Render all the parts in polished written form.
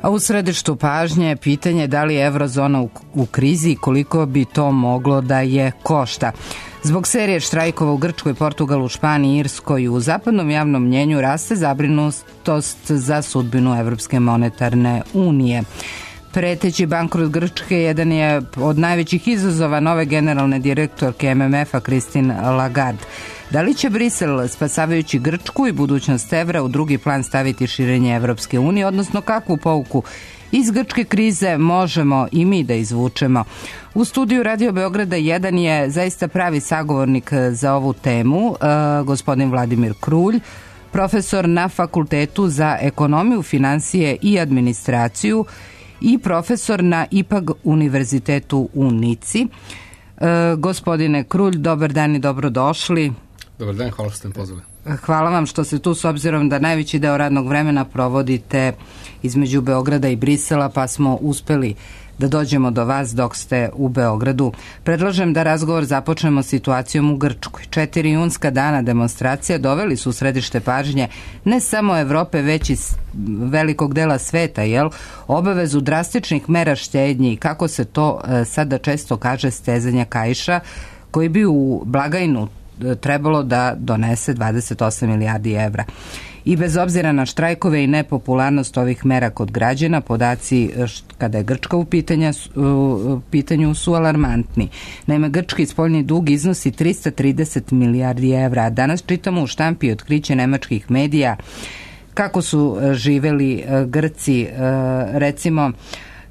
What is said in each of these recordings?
A u središtu pažnje je pitanje da li je eurozona u krizi i koliko bi to moglo da je košta. Zbog serije štrajkova u Grčkoj, Portugalu, Španiji, Irskoj u zapadnom javnom mnjenju raste zabrinutost za sudbinu Evropske monetarne unije. Preteći bankrot Grčke jedan je od najvećih izazova nove generalne direktorke MMF-a Christine Lagarde. Da li će Brisel, spasavajući Grčku i budućnost evra, u drugi plan staviti širenje Evropske unije, odnosno kakvu pouku iz grčke krize možemo i mi da izvučemo? U studiju Radio Beograda 1 je zaista pravi sagovornik za ovu temu, gospodin Vladimir Krulj, profesor na Fakultetu za ekonomiju, finansije i administraciju i profesor na IPAG univerzitetu u Nici. Gospodine Krulj, dobar dan i dobrodošli. Dobar dan, hvala što ste me pozvali. Hvala vam što ste tu, s obzirom da najveći deo radnog vremena provodite između Beograda i Brisela, pa smo uspeli da dođemo do vas dok ste u Beogradu. Predlažem da razgovor započnemo situacijom u Grčkoj. 4 junska dana demonstracija doveli su u središte pažnje ne samo Evrope, već i velikog dela sveta, obavezu drastičnih mera štednji i, kako se to sada često kaže, stezanja kaiša, koji bi u blagajnu trebalo da donese 28 milijardi evra. I bez obzira na štrajkove i nepopularnost ovih mera kod građana, podaci kada je Grčka u pitanju su alarmantni. Naime, grčki spoljni dug iznosi 330 milijardi evra, a danas čitamo u štampi otkriće nemačkih medija kako su živeli Grci, recimo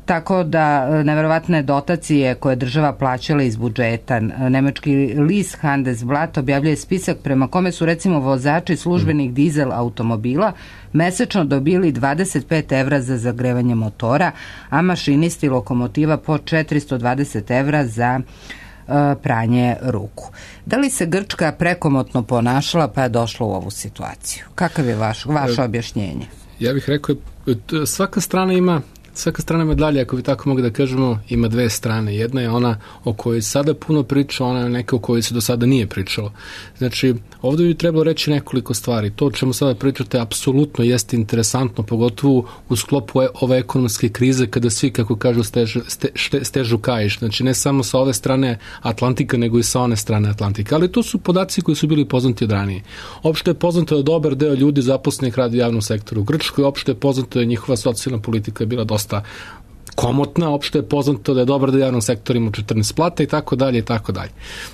tako da neverovatne dotacije koje država plaćala iz budžeta. Nemački list Handelsblatt objavljuje spisak prema kome su recimo vozači službenih dizel automobila mesečno dobili 25 evra za zagrevanje motora, a mašinisti lokomotiva po 420 evra za pranje ruku. Da li se Grčka prekomotno ponašala pa je došla u ovu situaciju? Kakav je vaše objašnjenje? Ja bih rekao, svaka strana medalje, ako bi tako mogli da kažemo, ima dve strane. Jedna je ona o kojoj sada puno priča, ona je neka o kojoj se do sada nije pričalo. Znači, ovdje bi trebalo reći nekoliko stvari. To o čemu sada pričate apsolutno jeste interesantno, pogotovo u sklopu ove ekonomske krize, kada svi, kako kažu, stežu kaiš. Znači, ne samo sa ove strane Atlantika, nego i sa one strane Atlantika. Ali to su podaci koji su bili poznati od ranije. Opšte je poznato da dobar deo ljudi zaposlenih radi u javnom sektoru u Grčkoj, opšte je poznato da njihova socijalna politika je bila dosta komotna, opšte je poznato da je dobar da javnom sektoru ima 14 plata i tako dalje i tako dalje.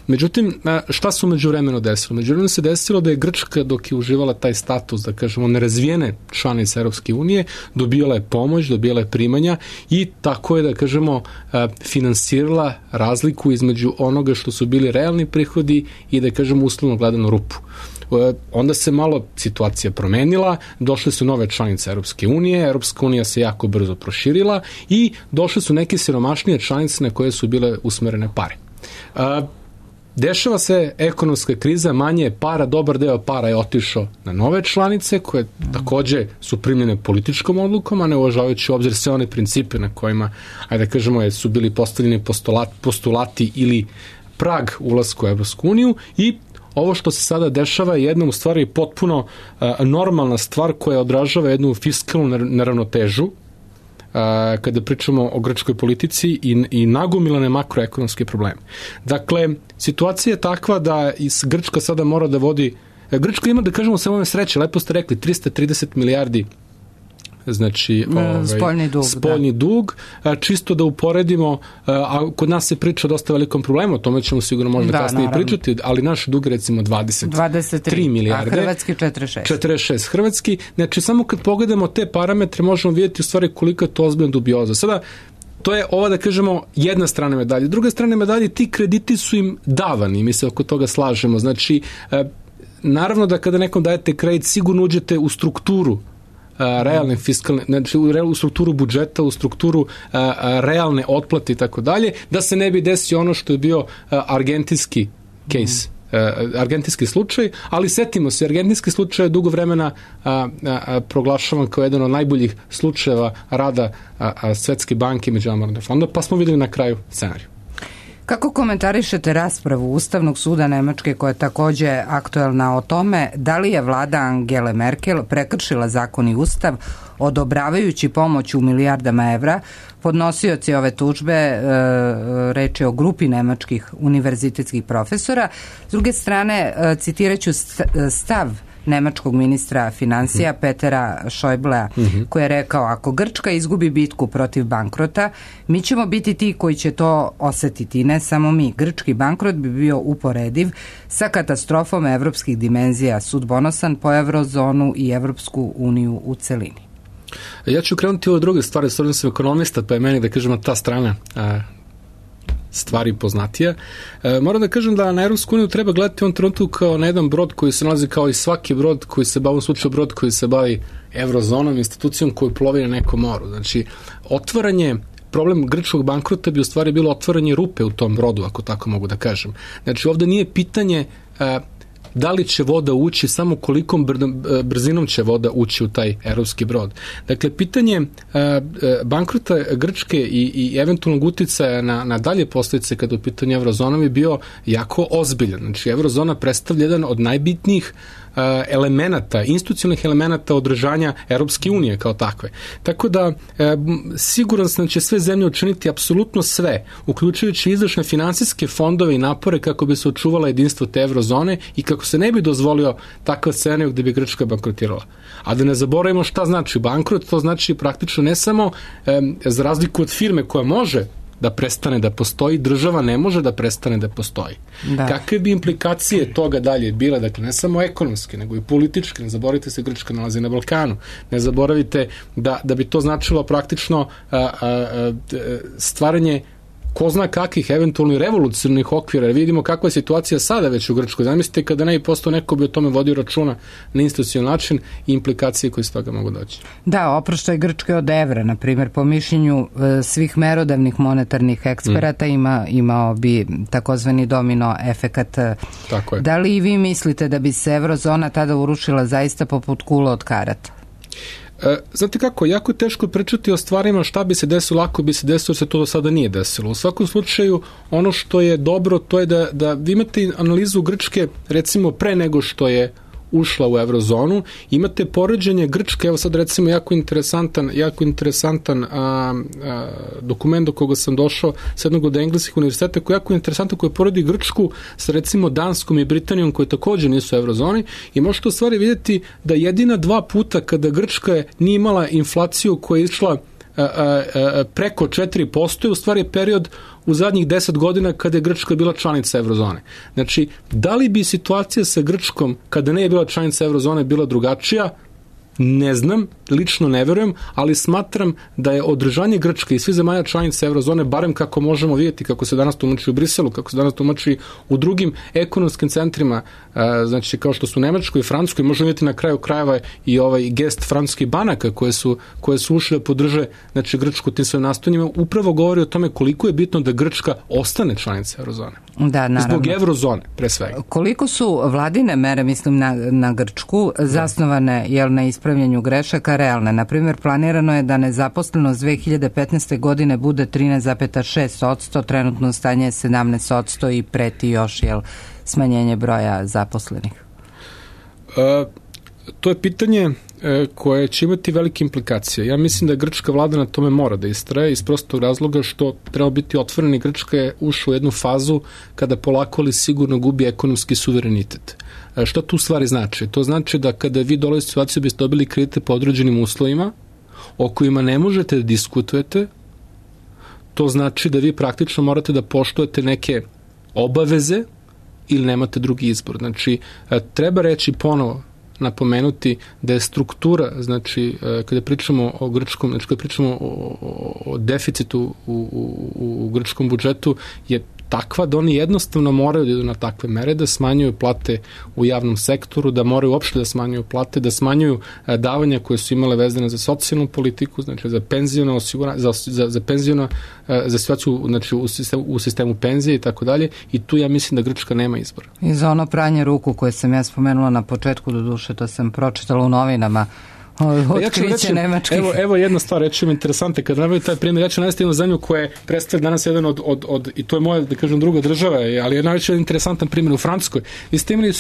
Međutim, šta se međuvremeno desilo? Međuvremeno se desilo da je Grčka, dok je uživala taj status, da kažemo, nerazvijene članice Europske unije, dobijala je pomoć, dobijala je primanja i tako je, da kažemo, finansirala razliku između onoga što su bili realni prihodi i, da kažemo, uslovno gledano rupu. Onda se malo situacija promenila, došle su nove članice Europske unije, Europska unija se jako brzo proširila i došle su neke siromašnije članice na koje su bile usmerene pare. Dešava se ekonomska kriza, manje je para, dobar deo para je otišao na nove članice koje takođe su primljene političkom odlukom, a ne uvažavajući u obzir sve one principe na kojima, ajde da kažemo, su bili postavljeni postulati ili prag ulasku u Europsku uniju. I ovo što se sada dešava je jedna u stvari potpuno normalna stvar koja odražava jednu fiskalnu neravnotežu kada pričamo o grčkoj politici i nagomilane makroekonomske probleme. Dakle, situacija je takva da Grčka sada mora da vodi, Grčka ima, da kažemo, samo sreće, lepo ste rekli, 330 milijardi, znači spoljni dug. Čisto da uporedimo, a kod nas se priča o dosta velikom problemu, o tome ćemo sigurno možda kasnije pričati, ali naš dug je recimo 23 milijarde. A hrvatski 46. Hrvatski, znači samo kad pogledamo te parametre možemo vidjeti u stvari koliko je to ozbiljna dubioza. Sada, to je ova, da kažemo, jedna strana medalje. Druga strana medalje, ti krediti su im davani, mi se oko toga slažemo. Znači, naravno da kada nekom dajete kredit, sigurno uđete u strukturu realne fiskalne, znači u strukturu budžeta, u strukturu realne otplate i tako dalje, da se ne bi desio ono što je bio argentinski case, argentinski slučaj, ali setimo se, argentinski slučaj je dugo vremena proglašavan kao jedan od najboljih slučajeva rada Svetske banke i Međunarodnog fonda, pa smo videli na kraju scenariju. Kako komentarišete raspravu Ustavnog suda Nemačke koja je takođe aktuelna o tome da li je vlada Angele Merkel prekršila zakon i ustav odobravajući pomoć u milijardama evra? Podnosioci ove tužbe, reč je o grupi nemačkih univerzitetskih profesora. S druge strane, citiraću stav nemačkog ministra financija Petera Schäublea, koji je rekao: ako Grčka izgubi bitku protiv bankrota, mi ćemo biti ti koji će to osetiti, ne samo mi. Grčki bankrot bi bio uporediv sa katastrofom evropskih dimenzija, sudbonosan po eurozonu i Evropsku uniju u celini. Ja ću krenuti ove druge stvari, stvarno sam ekonomista, pa je meni, da kažemo, ta strana stvari poznatija. Moram da kažem da na Evropsku uniju treba gledati on trenutku kao na jedan brod koji se nalazi kao i svaki brod koji se bavi, u slučaju brod koji se bavi evrozonom, institucijom koji plovi na nekom moru. Znači, problem grčkog bankrota bi u stvari bilo otvaranje rupe u tom brodu, ako tako mogu da kažem. Znači, ovde nije pitanje da li će voda ući, samo kolikom brzinom će voda ući u taj evropski brod. Dakle, pitanje bankrota Grčke i eventualnog uticaja na dalje posledice kada u pitanju eurozona bi bio jako ozbiljan. Znači, eurozona predstavlja jedan od najbitnijih elemenata, institucionalnih elemenata održanja Europske unije kao takve. Tako da, siguran sam da će sve zemlje učiniti apsolutno sve, uključujući izvršne finansijske fondove i napore kako bi se očuvala jedinstvo te eurozone i kako se ne bi dozvolio takav scenarij gde bi Grčka bankrotirala. A da ne zaboravimo šta znači bankrot, to znači praktično ne samo za razliku od firme koja može da prestane da postoji, država ne može da prestane da postoji. Da. Kakve bi implikacije toga dalje bile, dakle ne samo ekonomske, nego i političke, ne zaboravite se Grčka nalazi na Balkanu, ne zaboravite da bi to značilo praktično stvaranje ko zna kakvih eventualnih revolucionarnih okvira. Vidimo kakva je situacija sada već u Grčkoj. Zamislite kada ne bi postao neko bi o tome vodio računa na institucionalni način i implikacije koje s toga mogu doći. Da, oproštaj Grčke od evra, na primjer, po mišljenju svih merodavnih monetarnih eksperata imao bi takozvani domino efekat. Tako je. Da li i vi mislite da bi se eurozona tada urušila zaista poput kula od karata? Znate kako, jako je teško pričati o stvarima šta bi se desilo ako bi se desilo, jer se to do sada nije desilo. U svakom slučaju, ono što je dobro, to je da vi imate analizu Grčke, recimo pre nego što je ušla u eurozonu, imate poređenje Grčke, evo sad recimo jako interesantan dokument do koga sam došao s jednog od engleskih univerziteta koji je jako interesantan, koji poredi Grčku sa recimo Danskom i Britanijom koji također nisu u eurozoni i možete u stvari vidjeti da jedina 2 puta kada Grčka nije imala inflaciju koja je išla preko 4% je u stvari period u zadnjih 10 godina kada je Grčka bila članica eurozone. Znači, da li bi situacija sa Grčkom kada ne je bila članica eurozone bila drugačija? Ne znam, lično ne verujem, ali smatram da je održanje Grčke i svi zemalja članica eurozone, barem kako možemo vidjeti, kako se danas tumači u Briselu, kako se danas tumači u drugim ekonomskim centrima, znači kao što su Nemačkoj i Francuskoj, možemo vidjeti na kraju krajeva i ovaj gest francuskih banaka koje su ušle da podrže, znači, Grčku tim svojim nastojanjima, upravo govori o tome koliko je bitno da Grčka ostane članica eurozone. Da, naravno. Zbog eurozone, pre svega. Koliko su vladine mere, mislim na Grčku, zasnovane na ispravljanju grešaka realne? Naprimjer, planirano je da nezaposlenost 2015. godine bude 13,6%, trenutno stanje je 17% i preti još smanjenje broja zaposlenih. To je pitanje koje će imati velike implikacije. Ja mislim da grčka vlada na tome mora da istraje iz prostog razloga što treba biti otvoreni. Grčka je ušla u jednu fazu kada polako ali sigurno gubi ekonomski suverenitet. Što tu stvari znači? To znači da kada vi dolazite u situaciju biste dobili kredite po određenim uslovima o kojima ne možete da diskutujete, to znači da vi praktično morate da poštujete neke obaveze ili nemate drugi izbor. Znači, treba reći ponovo, napomenuti da je struktura, znači, kada pričamo o grčkom, znači, kada pričamo o deficitu u grčkom budžetu, je takva da oni jednostavno moraju da idu na takve mere, da smanjuju plate u javnom sektoru, da moraju uopšte da smanjuju plate, da smanjuju davanja koje su imale vezane za socijalnu politiku, znači za penziono osiguranje, za penziono, za situaciju, znači u sistemu penzije i tako dalje, i tu ja mislim da Grčka nema izbora. I za ono pranje ruku koje sam ja spomenula na početku, do duše, to sam pročitala u novinama, Otkriće nemačkih. Evo jedna stvar, reći mi interesante, kad navaju taj primjer, ja ću navesti jednu zemlju koja je predstavlja danas jedan i to je moja, da kažem, druga država, ali je najveći interesantan primjer u Francuskoj. Vi ste imali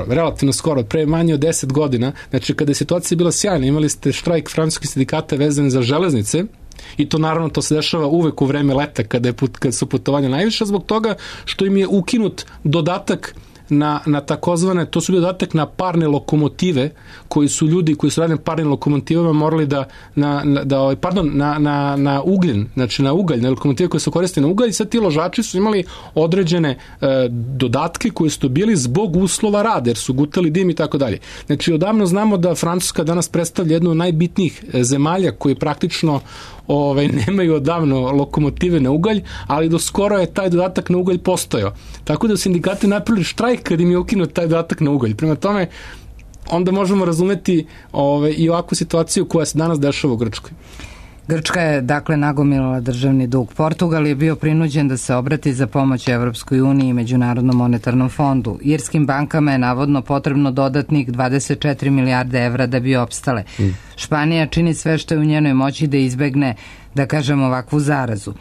relativno skoro, pre manje od 10 godina, znači kada je situacija bila sjajna, imali ste štrajk francuskih sindikata vezane za železnice, i to naravno to se dešava uvek u vreme leta kada su putovanja najviše, zbog toga što im je ukinut dodatak na takozvane, to su dodatak na parne lokomotive, koji su ljudi koji su radili parnim lokomotivama morali na ugljen, znači na ugalj, na lokomotive koje su koristile na ugalj, i sad ti ložači su imali određene dodatke koji su bili zbog uslova rada, jer su gutali dim i tako dalje. Znači odavno znamo da Francuska danas predstavlja jednu od najbitnijih zemalja koji praktično nemaju odavno lokomotive na ugalj, ali do skoro je taj dodatak na ugalj postojao. Tako da sindikati napravili štrajk kad im je ukinut taj dodatak na ugalj. Prema tome, onda možemo razumeti i ovakvu situaciju koja se danas dešava u Grčkoj. Grčka je, dakle, nagomilala državni dug. Portugal je bio prinuđen da se obrati za pomoć Evropskoj uniji i Međunarodnom monetarnom fondu. Irskim bankama je navodno potrebno dodatnih 24 milijarde evra da bi opstale. Španija čini sve što je u njenoj moći da izbegne, da kažem, ovakvu zarazu.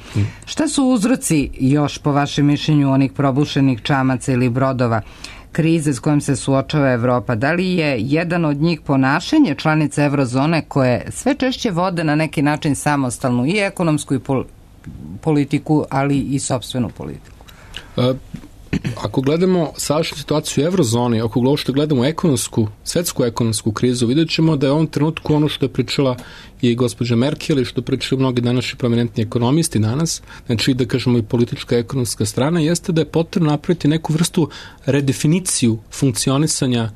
Šta su uzroci još, po vašem mišljenju, onih probušenih čamaca ili brodova krize s kojom se suočava Evropa? Da li je jedan od njih ponašanje članica eurozone koje sve češće vode na neki način samostalnu i ekonomsku i politiku, ali i sopstvenu politiku? Ako gledamo sadašnju situaciju u eurozoni, ako što gledamo svetsku ekonomsku krizu, vidjet ćemo da je u ovom trenutku ono što je pričala i gospođa Merkel i što pričaju mnogi današnji prominentni ekonomisti danas, znači da kažemo i politička ekonomska strana, jeste da je potrebno napraviti neku vrstu redefiniciju funkcionisanja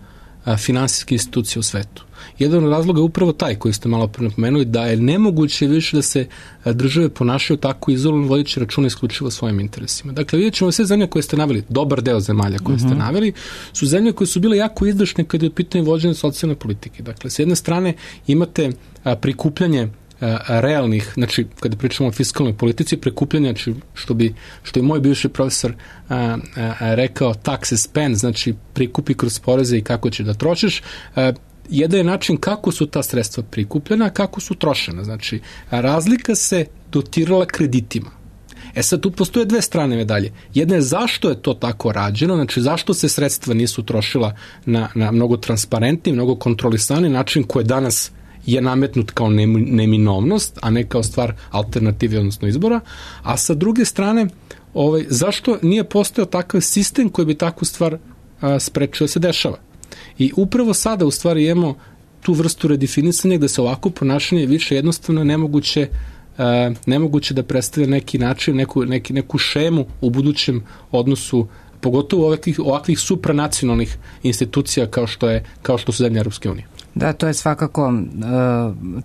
finansijske institucije u svetu. Jedan od razloga je upravo taj koji ste malo napomenuli, da je nemoguće više da se države ponašaju tako izolovano, vodeći računa isključivo svojim interesima. Dakle, vidjet ćemo sve zemlje koje ste naveli, dobar deo zemalja koje ste naveli, su zemlje koje su bile jako izdašne kada je u pitanju vođenja socijalne politike. Dakle, s jedne strane imate prikupljanje realnih, znači kada pričamo o fiskalnoj politici, prikupljanja, znači, što je moj bivši profesor rekao, tax and spend, znači prikupi kroz poreze i kako će da trošiš. Jedan je način kako su ta sredstva prikupljena, a kako su trošena. Znači, razlika se dotirala kreditima. Sad tu postoje dve strane medalje. Jedna je zašto je to tako rađeno, znači zašto se sredstva nisu trošila na mnogo transparentni, mnogo kontrolisani način koji danas je nametnut kao neminovnost, a ne kao stvar alternative, odnosno izbora, a sa druge strane, zašto nije postojao takav sistem koji bi takvu stvar sprečio da se dešava. I upravo sada u stvari imamo tu vrstu redefinisanja gde se ovako ponašanje više jednostavno nemoguće da predstavlja neki način, neku šemu u budućem odnosu, pogotovo ovakvih supranacionalnih institucija kao što su zemlje Europske unije. Da, to je svakako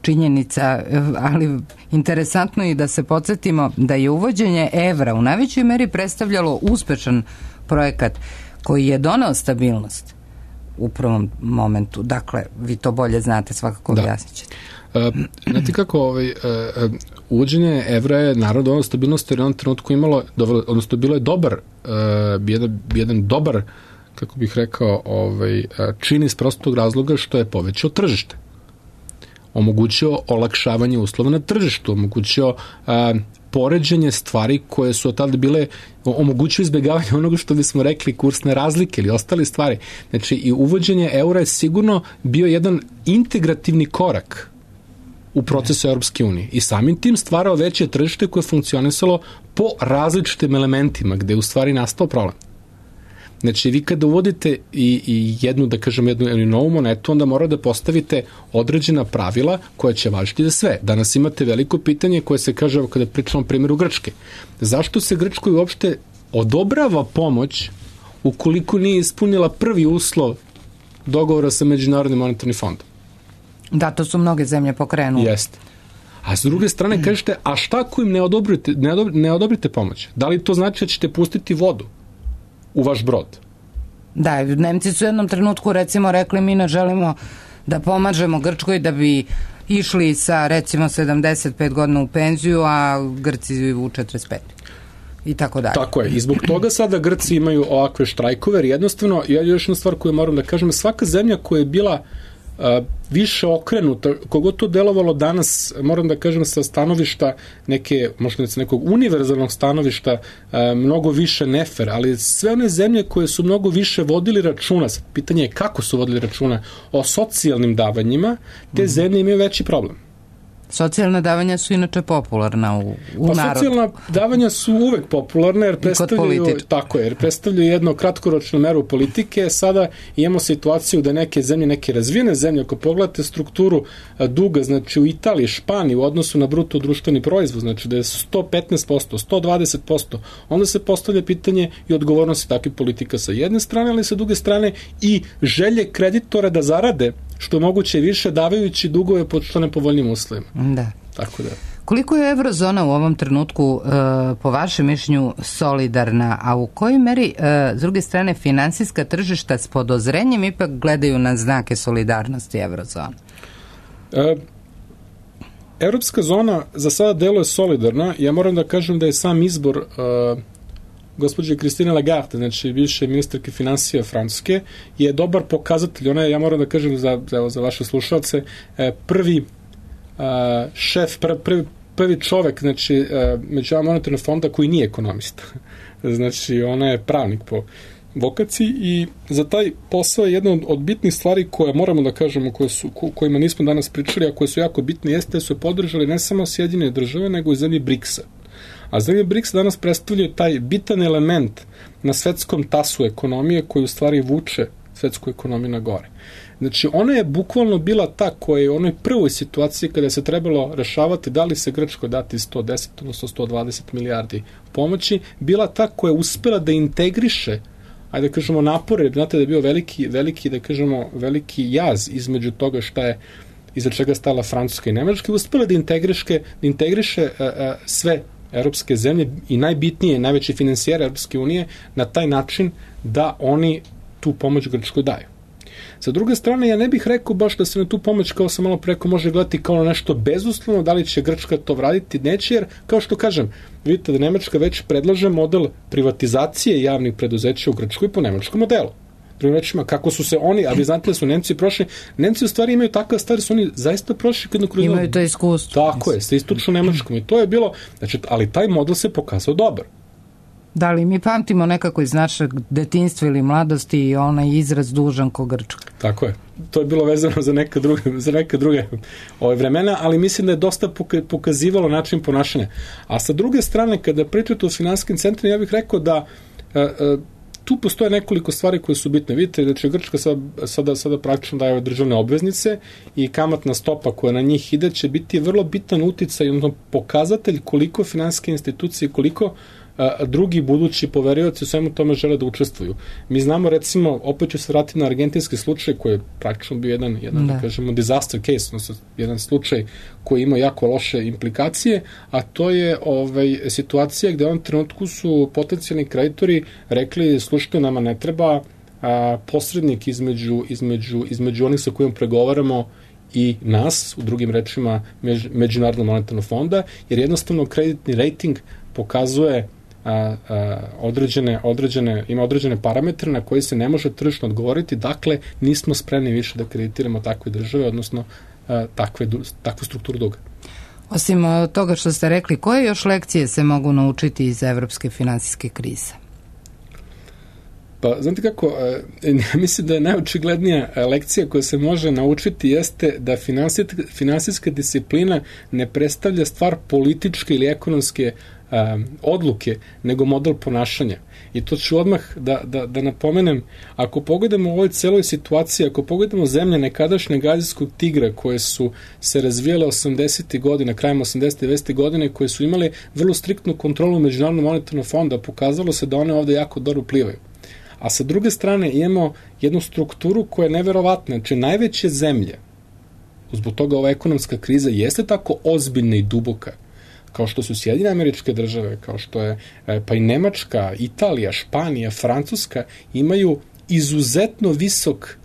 činjenica, ali interesantno je da se podsjetimo da je uvođenje evra u najvećoj meri predstavljalo uspešan projekat koji je doneo stabilnost u prvom momentu. Dakle, vi to bolje znate, svakako objasnit ćete. Znate kako, uvođenje evra je naravno donelo stabilnost, jer je on trenutku imalo, odnosno bilo je jedan dobar, kako bih rekao, čin iz prostog razloga što je povećao tržište. Omogućio olakšavanje uslova na tržištu, omogućio poređenje stvari koje su od tada bile, omogućio izbjegavanje onoga što bismo rekli kursne razlike ili ostale stvari. Znači, i uvođenje eura je sigurno bio jedan integrativni korak u procesu Europske unije i samim tim stvarao veće tržište koje je funkcionisalo po različitim elementima gde je u stvari nastao problem. Znači, vi kada uvodite i jednu novu monetu, onda mora da postavite određena pravila koja će važiti za sve. Danas imate veliko pitanje koje se kaže, kada pričamo o primjeru Grčke. Zašto se Grčkoj uopšte odobrava pomoć ukoliko nije ispunila prvi uslov dogovora sa Međunarodnim monetarnim fondom? Da, to su mnoge zemlje pokrenule. Jeste. A s druge strane kažete, a šta ako im ne odobrite pomoć? Da li to znači da ćete pustiti vodu u vaš brod? Da, Nemci su u jednom trenutku recimo rekli, mi ne želimo da pomažemo Grčkoj da bi išli sa recimo 75 godina u penziju, a Grci u 45. I tako dalje. Tako je. I zbog toga sada Grci imaju ovakve štrajkove, jer jednostavno, još jedna stvar koju moram da kažem, svaka zemlja koja je bila više okrenuta, kogod to delovalo danas, moram da kažem sa stanovišta možda nekog univerzalnog stanovišta, mnogo više nefer, ali sve one zemlje koje su mnogo više vodili računa, pitanje je kako su vodili računa o socijalnim davanjima, te zemlje imaju veći problem. Socijalna davanja su inače popularna u narodu. Socijalna davanja su uvek popularne jer predstavljaju jedno kratkoročnu meru politike. Sada imamo situaciju da neke zemlje, neke razvijene zemlje, ako pogledate strukturu duga, znači u Italiji, Španiji u odnosu na bruto društveni proizvod, znači da je 115%, 120%, onda se postavlja pitanje i odgovornosti takvih politika sa jedne strane, ali sa druge strane i želje kreditora da zarade što je moguće više davajući dugove pod što nepovoljnim uslovima. Da. Tako da. Koliko je eurozona u ovom trenutku po vašem mišljenju solidarna, a u kojoj meri s druge strane finansijska tržišta s podozrenjem ipak gledaju na znake solidarnosti eurozone? Evropska zona za sada deluje solidarna. Ja moram da kažem da je sam izbor gospođe Christine Lagarde, znači bivše ministarke finansija Francuske, je dobar pokazatelj. Ona je, ja moram da kažem za vaše slušalce, prvi šef, prvi čovek, znači Međunarodnog monetarnog fonda koji nije ekonomista. Znači, ona je pravnik po vokaciji i za taj posao je jedna od bitnih stvari koje moramo da kažemo, kojima nismo danas pričali, a koje su jako bitne, jeste da su podržali ne samo Sjedinjene države, nego i zemlje BRICS-a. A zemlje BRICS danas predstavljaju taj bitan element na svetskom tasu ekonomije koji u stvari vuče svetsku ekonomiju na gore. Znači, ona je bukvalno bila ta koja je u onoj prvoj situaciji kada se trebalo rešavati da li se Grčkoj dati 110, odnosno 120 milijardi pomoći, bila ta koja je uspela da integriše, ajde da kažemo, napore, znate da je bio veliki, da kažemo, veliki jaz između toga šta je, iza čega stala Francuska i Nemačka, i uspela da integriše sve evropske zemlje i najbitnije, najveći finansijeri Evropske unije na taj način da oni tu pomoć Grčkoj daju. Sa druge strane, ja ne bih rekao baš da se na tu pomoć, kao sam malo preko, može gledati kao nešto bezuslovno, da li će Grčka to vratiti, neće, jer, kao što kažem, vidite da Nemačka već predlaže model privatizacije javnih preduzeća u Grčkoj po nemačkom modelu. Drugim rečima, kako su se oni, a vi znate da su Nemci prošli, Nemci u stvari imaju takva stvar, su oni zaista prošli kroz... Imaju to iskustvo. Tako je, sa istočno Nemačkom, i to je bilo, znači, ali taj model se pokazao dobar. Da li mi pamtimo nekako iz našeg detinjstva ili mladosti i onaj izraz dužan ko Grčka? Tako je. To je bilo vezano za neka druge vremena, ali mislim da je dosta pokazivalo način ponašanja. A sa druge strane, kada pričate o finansijskim centrima, ja bih rekao da tu postoje nekoliko stvari koje su bitne. Vidite, znači Grčka sada praktično daje ove državne obveznice i kamatna stopa koja na njih ide će biti vrlo bitan uticaj, odnosno pokazatelj koliko finansijske institucije, koliko drugi budući poverioci u svemu tome žele da učestvuju. Mi znamo, recimo, opet ću se vratiti na argentinski slučaj koji je praktično bio jedan da kažemo, disaster case, odnosno jedan slučaj koji ima jako loše implikacije, a to je situacija gde u ovom trenutku su potencijalni kreditori rekli, slušajte, nama ne treba posrednik između onih sa kojim pregovaramo i nas, u drugim rečima Međunarodnog monetarnog fonda, jer jednostavno kreditni rating pokazuje ima određene parametre na koji se ne može tržišno odgovoriti, dakle nismo spremni više da kreditiramo takve države, odnosno takvu strukturu duga. Osim toga što ste rekli, koje još lekcije se mogu naučiti iz evropske finansijske krize? Pa, znate kako, mislim da je najočiglednija lekcija koja se može naučiti jeste da finansijska disciplina ne predstavlja stvar političke ili ekonomske odluke, nego model ponašanja. I to ću odmah da napomenem, ako pogledamo u ovoj celoj situaciji, ako pogledamo zemlje nekadašnjeg azijskog tigra koje su se razvijale 80. godina, krajem 80. 90. godine, koje su imale vrlo striktnu kontrolu Međunarodnog monetarnog fonda, pokazalo se da one ovde jako dobro plivaju. A sa druge strane imamo jednu strukturu koja je neverovatna. Znači, najveće zemlje, zbog toga ova ekonomska kriza jeste tako ozbiljna i duboka, kao što su Sjedinjene Američke Države, kao što je pa i Nemačka, Italija, Španija, Francuska, imaju izuzetno visok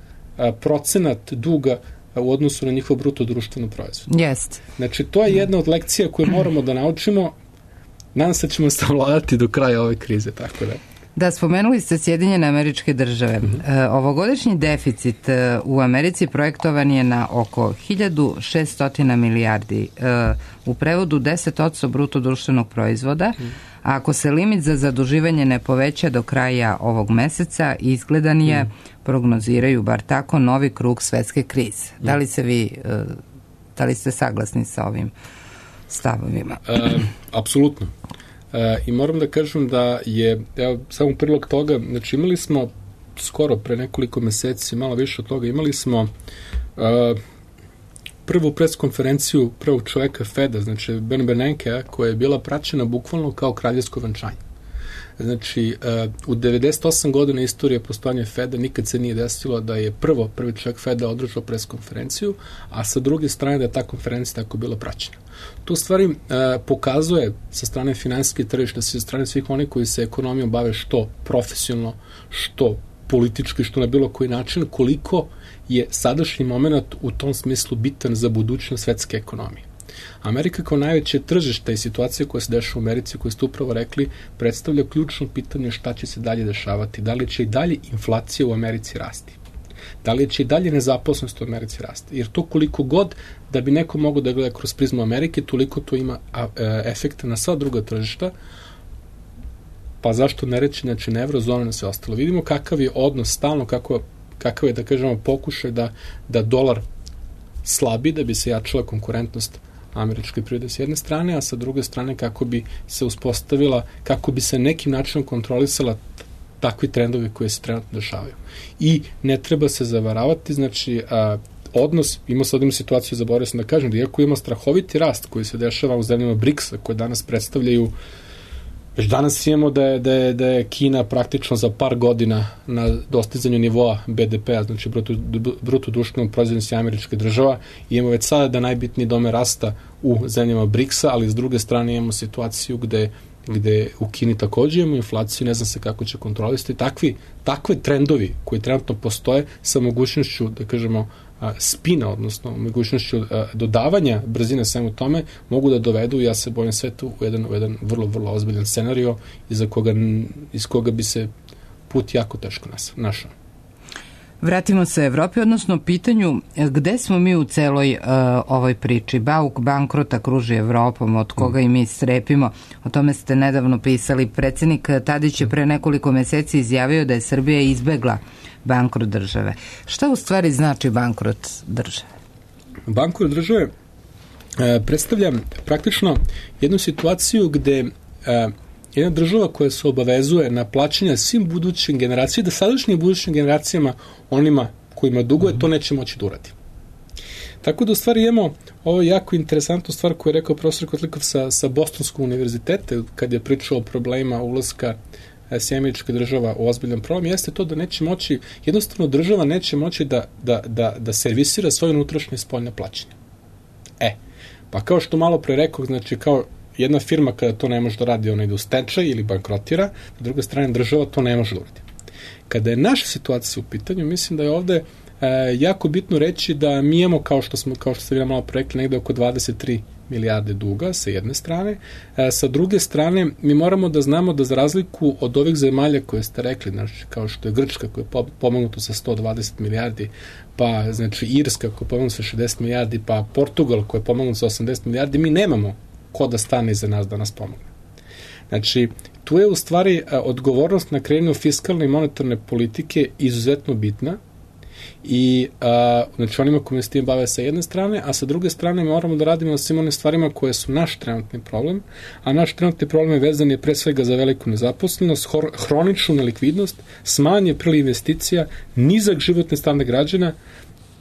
procenat duga u odnosu na njihov bruto društveni proizvod. Jest. Znači, to je jedna od lekcija koje moramo da naučimo. Nadam se da ćemo savladati do kraja ove krize, tako da. Da, spomenuli ste Sjedinjene Američke Države. Ovogodišnji deficit u Americi projektovan je na oko 1600 milijardi, u prevodu 10% bruto društvenog proizvoda, a ako se limit za zaduživanje ne poveća do kraja ovog meseca, izgledan je, prognoziraju bar tako, novi krug svetske krize. Da li ste saglasni sa ovim stavovima? Apsolutno. I moram da kažem da je, evo, samo prilog toga, znači imali smo skoro pre nekoliko meseci, malo više od toga, imali smo prvu preskonferenciju prvog čoveka Feda, znači Ben Bernanke, koja je bila praćena bukvalno kao kraljevsko venčanje. Znači, u 98 godina istorije postojanja Feda nikad se nije desilo da je prvi čovjek Feda održao preskonferenciju, a sa druge strane da je ta konferencija tako bila praćena. To u stvari pokazuje sa strane finansijske tržišta, sa strane svih onih koji se ekonomijom bave što profesionalno, što politički, što na bilo koji način, koliko je sadašnji moment u tom smislu bitan za budućnost svetske ekonomije. Amerika kao najveće tržište i situacija koja se dešava u Americi, koju ste upravo rekli, predstavlja ključno pitanje šta će se dalje dešavati. Da li će i dalje inflacija u Americi rasti? Da li će i dalje nezaposlenost u Americi rasti? Jer to koliko god da bi neko mogao da gleda kroz prizmu Amerike, toliko to ima efekta na sva druga tržišta, pa zašto ne reći, znači na eurozonu na sve ostalo. Vidimo kakav je odnos stalno, kakav je, da kažemo, pokušaj da dolar slabi, da bi se jačala konkurentnost američke privrede s jedne strane, a sa druge strane kako bi se uspostavila, kako bi se nekim načinom kontrolisala takvi trendovi koji se trenutno dešavaju. I ne treba se zavaravati, znači odnos, imamo sad jednu situaciju, zaboravio sam da kažem, da iako ima strahoviti rast koji se dešava u zemljama BRICS-a, koje danas predstavljaju, već danas imamo da je Kina praktično za par godina na dostizanju nivoa BDP-a, znači bruto društvenog proizvoda američke država, i imamo već sada da najbitniji dome rasta u zemljama BRICS-a, ali s druge strane imamo situaciju gde u Kini takođe imamo inflaciju, ne znam se kako će kontrolisati. Takve trendovi koji trenutno postoje sa mogućnošću, da kažemo, spina, odnosno mogućnošću dodavanja brzine svemu tome, mogu da dovedu, ja se bojim, sve tu u jedan vrlo, vrlo ozbiljan scenario iz koga bi se put jako teško našao. Vratimo se Evropi, odnosno pitanju gde smo mi u celoj ovoj priči. Bauk bankrota kruži Evropom, od koga i mi strepimo. O tome ste nedavno pisali. Predsednik Tadić je pre nekoliko meseci izjavio da je Srbija izbegla bankrot države. Šta u stvari znači bankrot države? Bankrot države predstavlja praktično jednu situaciju gde jedna država koja se obavezuje na plaćanje svim budućim generacijama, da sadašnjim budućim generacijama, onima kojima duguje, to neće moći da uradi. Tako da u stvari imamo ovo jako interesantnu stvar koju je rekao profesor Kotlikov sa Bostonskog univerziteta, kad je pričao o problemima ulaska Američka država u ozbiljan problem, jeste to da neće moći, jednostavno država neće moći da servisira svoje unutrašnje i spoljne plaćanje. Pa kao što malo pre rekao, znači kao jedna firma kada to ne može da radi, ona ide u stečaj ili bankrotira, s druge strane država to ne može da uradi. Kada je naša situacija u pitanju, mislim da je ovde jako bitno reći da mi imamo, kao što ste vi malo pre rekli, negde oko 23 milijarde duga sa jedne strane. Sa druge strane, mi moramo da znamo da za razliku od ovih zemalja koje ste rekli, znači kao što je Grčka koja je pomognuta sa 120 milijardi, pa znači Irska koja je pomognuta sa 60 milijardi, pa Portugal koja je pomognuta sa 80 milijardi, mi nemamo ko da stane iza nas da nas pomogne. Znači, tu je u stvari odgovornost na kreiranju fiskalne i monetarne politike izuzetno bitna i znači onima koji se tim bave sa jedne strane, a sa druge strane moramo da radimo na svim onim stvarima koje su naš trenutni problem, a naš trenutni problem je vezan je pre svega za veliku nezaposlenost, hroničnu nelikvidnost, smanjanje priliv investicija, nizak životni standard građana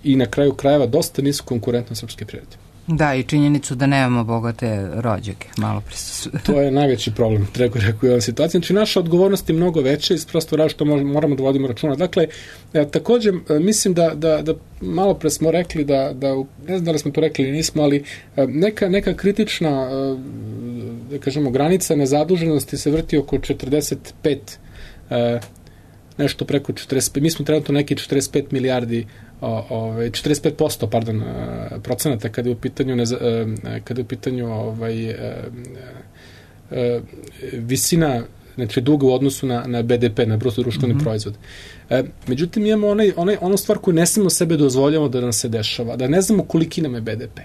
i na kraju krajeva dosta nisku konkurentnost srpske privrede. Da, i činjenicu da nemamo bogate rođake, malo prisutu. To je najveći problem, rekao u ovoj situaciji. Znači, naša odgovornost je mnogo veća iz prosto različito moramo da vodimo računa. Dakle, takođe, mislim da malo pre smo rekli da, ne znam da li smo to rekli ili nismo, ali neka kritična, da kažemo, granica nezaduženosti se vrti oko 45, nešto preko 45, mi smo trenutno neki 45 milijardi 45% procenata kada je u pitanju visina znači duga u odnosu na BDP, na bruto društveni proizvod. Međutim, imamo onu stvar koju ne smemo sebe dozvoljavamo da nam se dešava, da ne znamo koliki nam je BDP.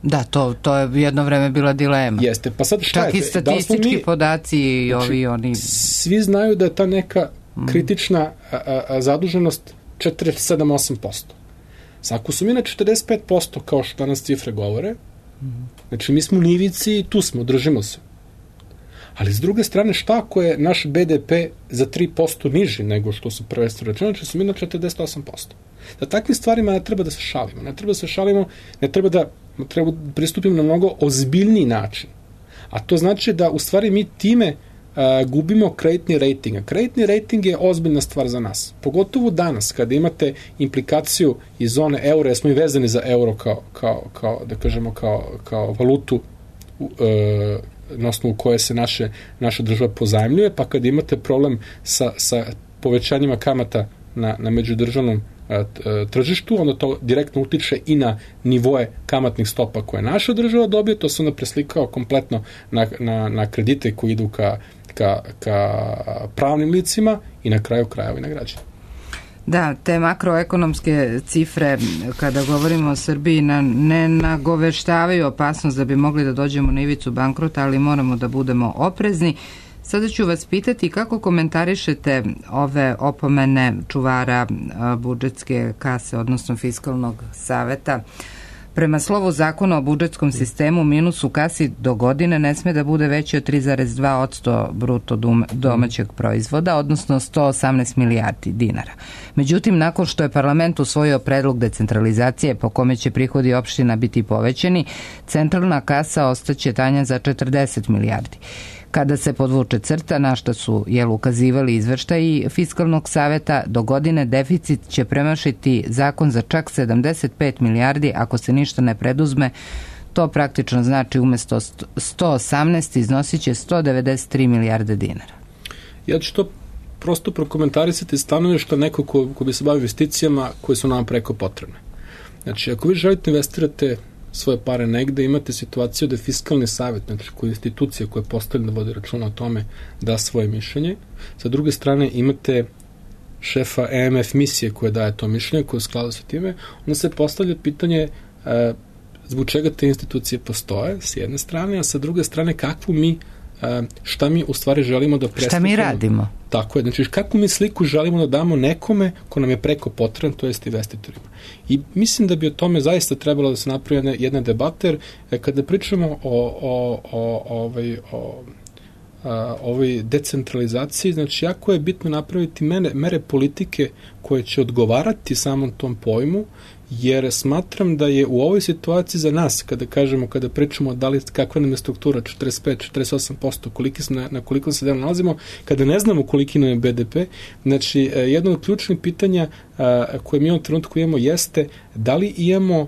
Da, to je jedno vreme bila dilema. Jeste, pa sad šta je? Čak i statistički podaci i oni... Svi znaju da je ta neka kritična zaduženost 47-8%. Ako su mi na 45%, kao što danas cifre govore, znači mi smo u nivici i tu smo, držimo se. Ali s druge strane, šta ako je naš BDP za 3% niži nego što su prvenstveno računali, znači su mi na 48%. Da takvim stvarima ne treba da se šalimo. Ne treba da pristupimo na mnogo ozbiljniji način. A to znači da u stvari mi time gubimo kreditni rating. A kreditni rating je ozbiljna stvar za nas. Pogotovo danas, kada imate implikaciju iz zone euro, jer smo i vezani za euro kao da kažemo, kao valutu na osnovu koje se naša država pozajmljuje, pa kada imate problem sa povećanjima kamata na međudržavnom tržištu, onda to direktno utiče i na nivoe kamatnih stopa koje naša država dobije, to se onda preslikao kompletno na kredite koji idu ka pravnim licima i na kraju krajeva i na građane. Da, te makroekonomske cifre, kada govorimo o Srbiji, ne nagoveštavaju opasnost da bi mogli da dođemo na ivicu bankrota, ali moramo da budemo oprezni. Sada ću vas pitati kako komentarišete ove opomene čuvara budžetske kase, odnosno fiskalnog saveta. Prema slovu zakona o budžetskom sistemu, minus u kasi do godine ne sme da bude veći od 3,2% bruto domaćeg proizvoda, odnosno 118 milijardi dinara. Međutim, nakon što je parlament usvojio predlog decentralizacije po kome će prihodi opština biti povećani, centralna kasa ostaće tanja za 40 milijardi. Kada se podvuče crta, na šta su ukazivali izveštaji fiskalnog saveta, do godine deficit će premašiti zakon za čak 75 milijardi ako se ništa ne preduzme. To praktično znači umesto 118 iznosit će 193 milijarde dinara. Ja ću to prosto prokomentarisati stanovišta neko ko bi se bavio investicijama koje su nam preko potrebne. Znači, ako vi želite investirate svoje pare negde, imate situaciju da je fiskalni savjet, znači koja je institucija koja je postavljena da vodi računa o tome, da svoje mišljenje. Sa druge strane imate šefa EMF misije koja daje to mišljenje, koja je u skladu sa time, onda se postavlja pitanje zbog čega te institucije postoje, s jedne strane, a sa druge strane šta mi u stvari želimo da predstavimo. Šta mi radimo? Tako je, znači kakvu mi sliku želimo da damo nekome ko nam je preko potreban, to jest investitorima. I mislim da bi o tome zaista trebalo da se napravi jedna debata, jer kada pričamo o ovoj decentralizaciji, znači jako je bitno napraviti mere politike koje će odgovarati samom tom pojmu, jer smatram da je u ovoj situaciji za nas, kada pričamo da li kakva nam je struktura 45-48%, na koliko se dana nalazimo, kada ne znamo koliki nam je BDP, znači jedno od ključnih pitanja koje mi u ovom trenutku imamo jeste da li imamo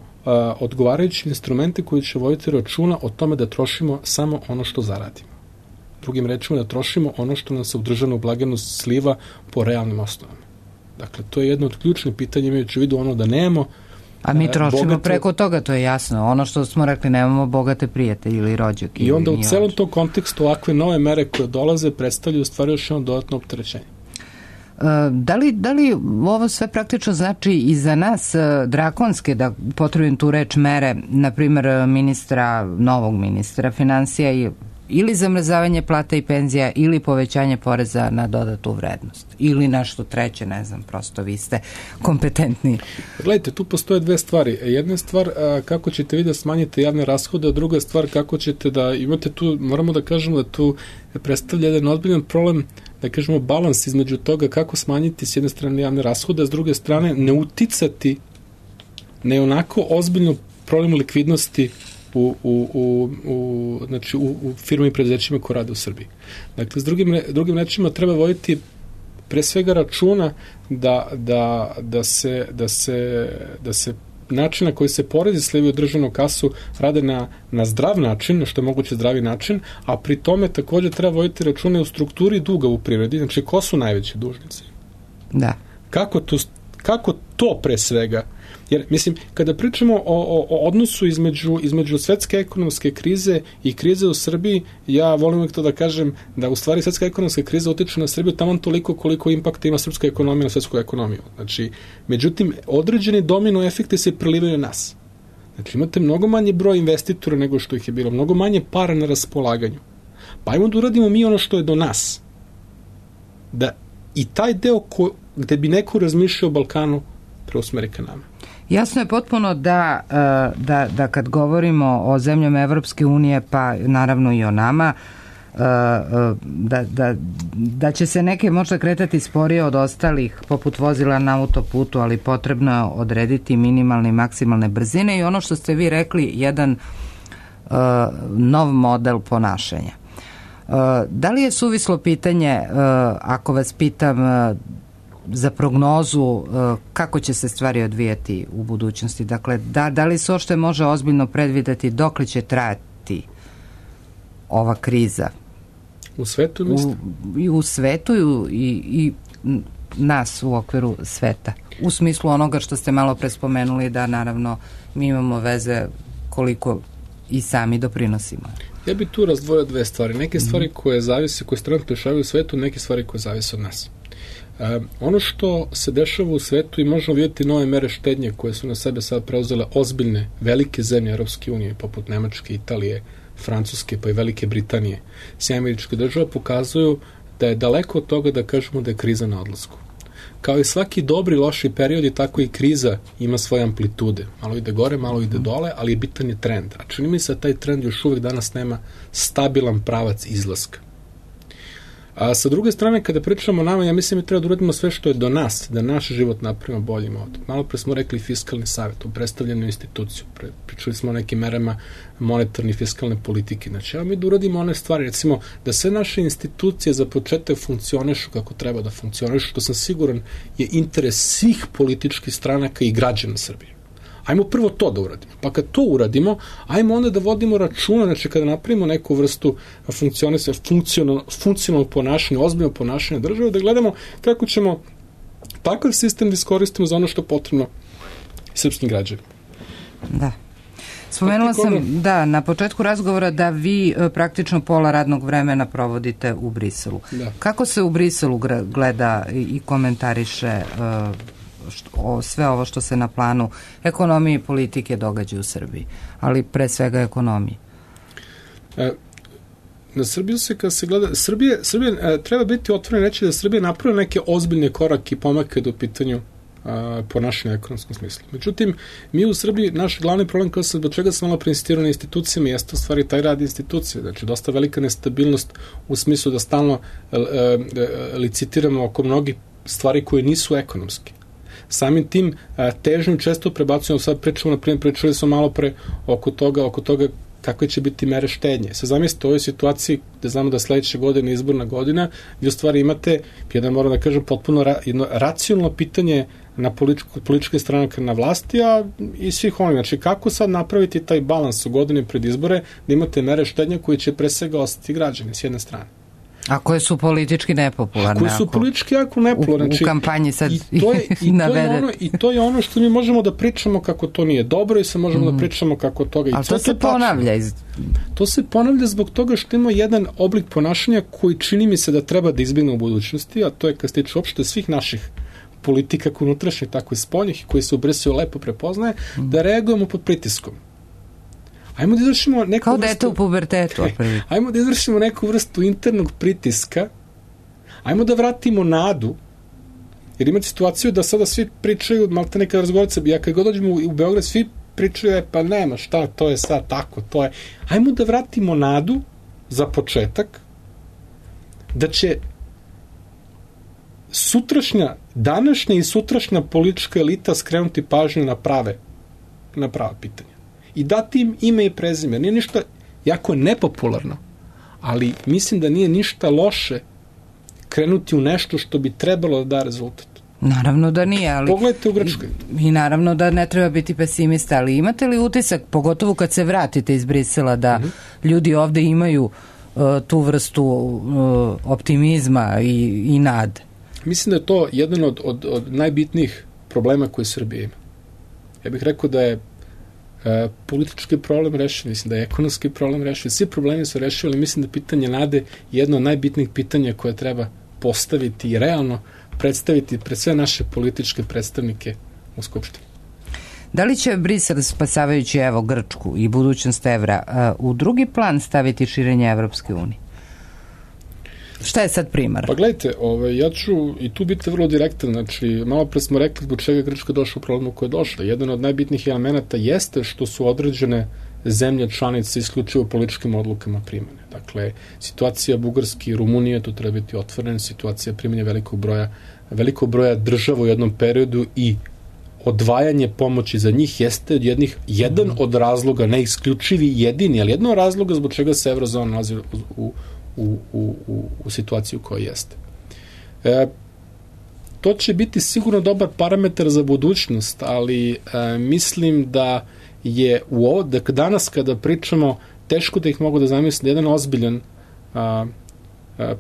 odgovarajuće instrumente koji će voditi računa o tome da trošimo samo ono što zaradimo. Drugim rečima, da trošimo ono što nam se u državnu blagajnu sliva po realnim osnovama. Dakle, to je jedno od ključnih pitanja, imajući u vidu ono da nemamo. A mi trošimo preko toga, to je jasno. Ono što smo rekli, nemamo bogate prijatelje ili rođake. I onda u celom tom kontekstu ovakve nove mere koje dolaze predstavljaju u stvari još jedno dodatno opterećenje. Da li ovo sve praktično znači i za nas drakonske, da potrebim tu reč, mere, na primjer novog ministra finansija ili zamrzavanje plata i penzija ili povećanje poreza na dodatu vrednost ili nešto treće, ne znam, prosto vi ste kompetentni. Gledajte, tu postoje dve stvari. Jedna stvar kako ćete vi da smanjite javne rashode, a druga stvar kako ćete da imate tu, moramo da kažemo da tu predstavlja jedan ozbiljan problem, da kažemo balans između toga kako smanjiti s jedne strane javne rashode, a s druge strane ne uticati na onako ozbiljno problem likvidnosti u firmi i preduzećima koje rade u Srbiji. Dakle, s drugim rečima treba voditi pre svega računa da se način na koji se porezi slivaju u državnu kasu rade na zdrav način, što je moguće zdravi način, a pri tome također treba voditi računa u strukturi duga u privredi, znači ko su najveći dužnici. Da. Kako to pre svega Jer, mislim, kada pričamo o odnosu između svetske ekonomske krize i krize u Srbiji, ja volim uvijek to da kažem da u stvari svetska ekonomska kriza utiče na Srbiju tamo toliko koliko impakta ima srpska ekonomija na svetsku ekonomiju. Znači, međutim, određeni domino efekti se prelivaju na nas. Znači, imate mnogo manje broj investitora nego što ih je bilo, mnogo manje para na raspolaganju. Pa ajmo da uradimo mi ono što je do nas. Da i taj deo gde bi neko razmišljao o Balkanu preusmeri ka nama. Jasno je potpuno da kad govorimo o zemljama Evropske unije, pa naravno i o nama, da će se neke možda kretati sporije od ostalih, poput vozila na autoputu, ali potrebno je odrediti minimalne i maksimalne brzine i ono što ste vi rekli, jedan nov model ponašanja. Da li je suvislo pitanje, ako vas pitam za prognozu kako će se stvari odvijati u budućnosti? Dakle, da li se uopšte može ozbiljno predvideti dokle će trajati ova kriza? U svetu, mislim? I u svetu i nas u okviru sveta. U smislu onoga što ste malo pre spomenuli, da naravno mi imamo veze koliko i sami doprinosimo. Ja bih tu razdvojio dve stvari. Neke stvari koje se trenutno dešavaju u svetu, neke stvari koje zavise od nas. Ono što se dešava u svetu i možemo vidjeti nove mere štednje koje su na sebe sad preuzele ozbiljne, velike zemlje Europske unije, poput Nemačke, Italije, Francuske, pa i Velike Britanije, Američke države, pokazuju da je daleko od toga da kažemo da je kriza na odlasku. Kao i svaki dobri, loši period, tako i kriza ima svoje amplitude. Malo ide gore, malo ide dole, ali je bitan je trend. A čini mi se da taj trend još uvek danas nema stabilan pravac izlaska. A sa druge strane, kada pričamo o nama, ja mislim da treba da uradimo sve što je do nas, da naš život napravimo boljim ovdje. Malo pre smo rekli fiskalni savjet, u predstavljenu instituciju, pričali smo o nekim merama monetarne i fiskalne politike. Znači, mi da uradimo one stvari, recimo, da sve naše institucije za početak funkcionišu kako treba da funkcionišu, što sam siguran je interes svih političkih stranaka i građana Srbije. Ajmo prvo to da uradimo. Pa kad to uradimo, ajmo onda da vodimo računa, znači kada napravimo neku vrstu funkcionalnog ponašanja, ozbiljnog ponašanja države, da gledamo kako ćemo takav sistem da iskoristimo za ono što je potrebno srpskim građanima. Da. Spomenula sam, na početku razgovora da vi praktično pola radnog vremena provodite u Briselu. Da. Kako se u Briselu gleda i komentariše sve ovo što se na planu ekonomije i politike događa u Srbiji, ali pre svega ekonomije? Na Srbiju se, kada se gleda, Srbije treba biti otvoren reći da Srbija napravila neke ozbiljne korake i pomake do pitanju ponašanja u ekonomskom smislu. Međutim, mi u Srbiji, naš glavni problem, do čega sam malo preinsistirao na institucijama, jeste u stvari taj rad institucije. Znači, dosta velika nestabilnost u smislu da stalno licitiramo oko mnogih stvari koje nisu ekonomske. Samim tim težnju često prebacujemo, sad pričali smo malo pre oko toga kakve će biti mere štednje. Sad zamislite u ovoj situaciji da znamo da sledeće godine izborna godina, vi u stvari imate, jedan moram da kažem, potpuno jedno racionalno pitanje na političke stranaka na vlasti, a i svih onih. Znači, kako sad napraviti taj balans u godini pred izbore, da imate mere štednje koje će pre svega ostati građani s jedne strane. A koje su politički nepopularne. Koje su politički jako nepopularne. U kampanji sad navede. I to je ono što mi možemo da pričamo kako to nije dobro i se možemo da pričamo kako toga. Ali to se ponavlja. To se ponavlja zbog toga što ima jedan oblik ponašanja koji čini mi se da treba da izbjegne u budućnosti, a to je kad se tiče uopšte svih naših politika, kako unutrašnjih, tako i spoljnih, koji se u Briselu lepo prepoznaje, da reagujemo pod pritiskom. Ajmo da izvršimo neku kao dete u pubertetu. Ajmo da izvršimo neku vrstu internog pritiska. Ajmo da vratimo nadu. Jer imate situaciju da sada svi pričaju, malte neka razgovorica, ja kad god dođemo u Beograd, svi pričaju, pa nema šta, to je sad tako, to je. Ajmo da vratimo nadu za početak da će današnja i sutrašnja politička elita skrenuti pažnju na prava pitanja. I dati im ime i prezime. Nije ništa jako nepopularno, ali mislim da nije ništa loše krenuti u nešto što bi trebalo da da rezultat. Naravno da nije, ali... Pogledajte u Grčkoj. I naravno da ne treba biti pesimista, ali imate li utisak, pogotovo kad se vratite iz Brisela, da ljudi ovde imaju tu vrstu optimizma i nade? Mislim da je to jedan od najbitnijih problema koje Srbija ima. Ja bih rekao da je politički problem rešen, mislim da je ekonomski problem rešen, svi problemi su rešili, ali mislim da pitanje nade je jedno od najbitnijih pitanja koje treba postaviti i realno predstaviti pred sve naše političke predstavnike u Skupštini. Da li će Brisel, spasavajući evo Grčku i budućnost evra, u drugi plan staviti širenje Evropske unije? Šta je sad primar? Pa gledajte, ja ću i tu biti vrlo direktan, znači malo pre smo rekli zbog čega Grčka došla u problemu koje je došla. Jedan od najbitnijih elemenata jeste što su određene zemlje članice isključivo političkim odlukama primene. Dakle, situacija Bugarske i Rumunije, to treba biti otvorena, situacija primanja velikog broja država u jednom periodu i odvajanje pomoći za njih jeste jedan od razloga, ne isključivi jedini, ali jedan od razloga zbog čega se eurozona nalazi u situaciju koja jeste. To će biti sigurno dobar parametar za budućnost, ali mislim da je danas kada pričamo, teško da ih mogu da zamislim, jedan ozbiljan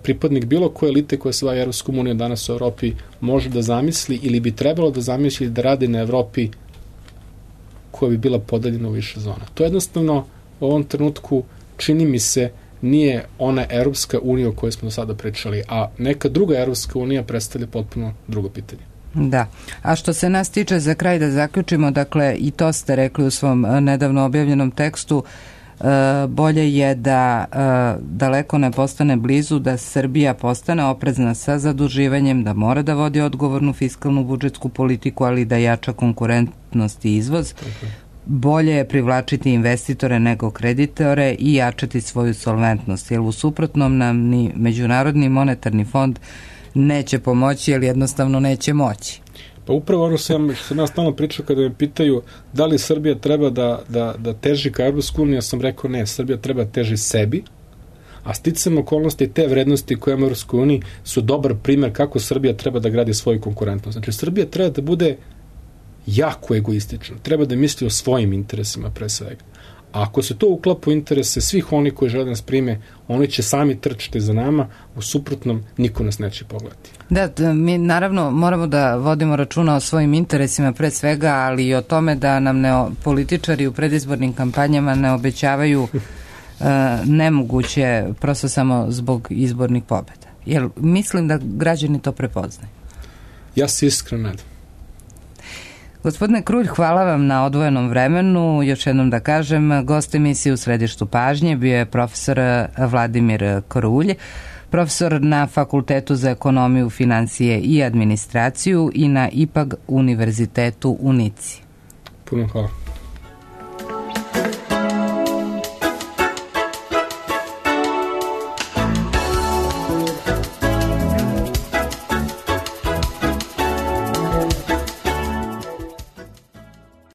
pripadnik bilo koje elite koja se daje Evropskom unijom danas u Evropi može da zamisli ili bi trebalo da zamisli da radi na Evropi koja bi bila podeljena u više zona. To jednostavno u ovom trenutku čini mi se nije ona Evropska unija o kojoj smo do sada pričali, a neka druga Evropska unija predstavlja potpuno drugo pitanje. Da. A što se nas tiče, za kraj da zaključimo, dakle i to ste rekli u svom nedavno objavljenom tekstu, bolje je da daleko ne postane blizu, da Srbija postane oprezna sa zaduživanjem, da mora da vodi odgovornu fiskalnu budžetsku politiku, ali da jača konkurentnost i izvoz. Bolje je privlačiti investitore nego kreditore i jačati svoju solventnost, jer u suprotnom nam ni Međunarodni monetarni fond neće pomoći, jer jednostavno neće moći. Pa upravo ono što sam ja stalno pričao kada me pitaju da li Srbija treba da teži ka Evropsku uniju, ja sam rekao ne, Srbija treba da teži sebi, a sticam okolnosti te vrednosti koje imamo u Evropskoj uniji su dobar primer kako Srbija treba da gradi svoju konkurentnost. Znači, Srbija treba da bude jako egoistična, treba da misli o svojim interesima pre svega. A ako se to uklapa u interese svih oni koji žele da nas prime, oni će sami trčati za nama, u suprotnom niko nas neće pogledati. Da, mi naravno moramo da vodimo računa o svojim interesima pre svega, ali i o tome da nam političari u predizbornim kampanjama ne obećavaju nemoguće prosto samo zbog izbornih pobjeda. Jer mislim da građani to prepoznaju. Ja se iskreno nadam. Gospodine Krulj, hvala vam na odvojenom vremenu. Još jednom da kažem, gost emisije U središtu pažnje bio je profesor Vladimir Krulj, profesor na Fakultetu za ekonomiju, financije i administraciju i na IPAG univerzitetu u Nici. Puno hvala.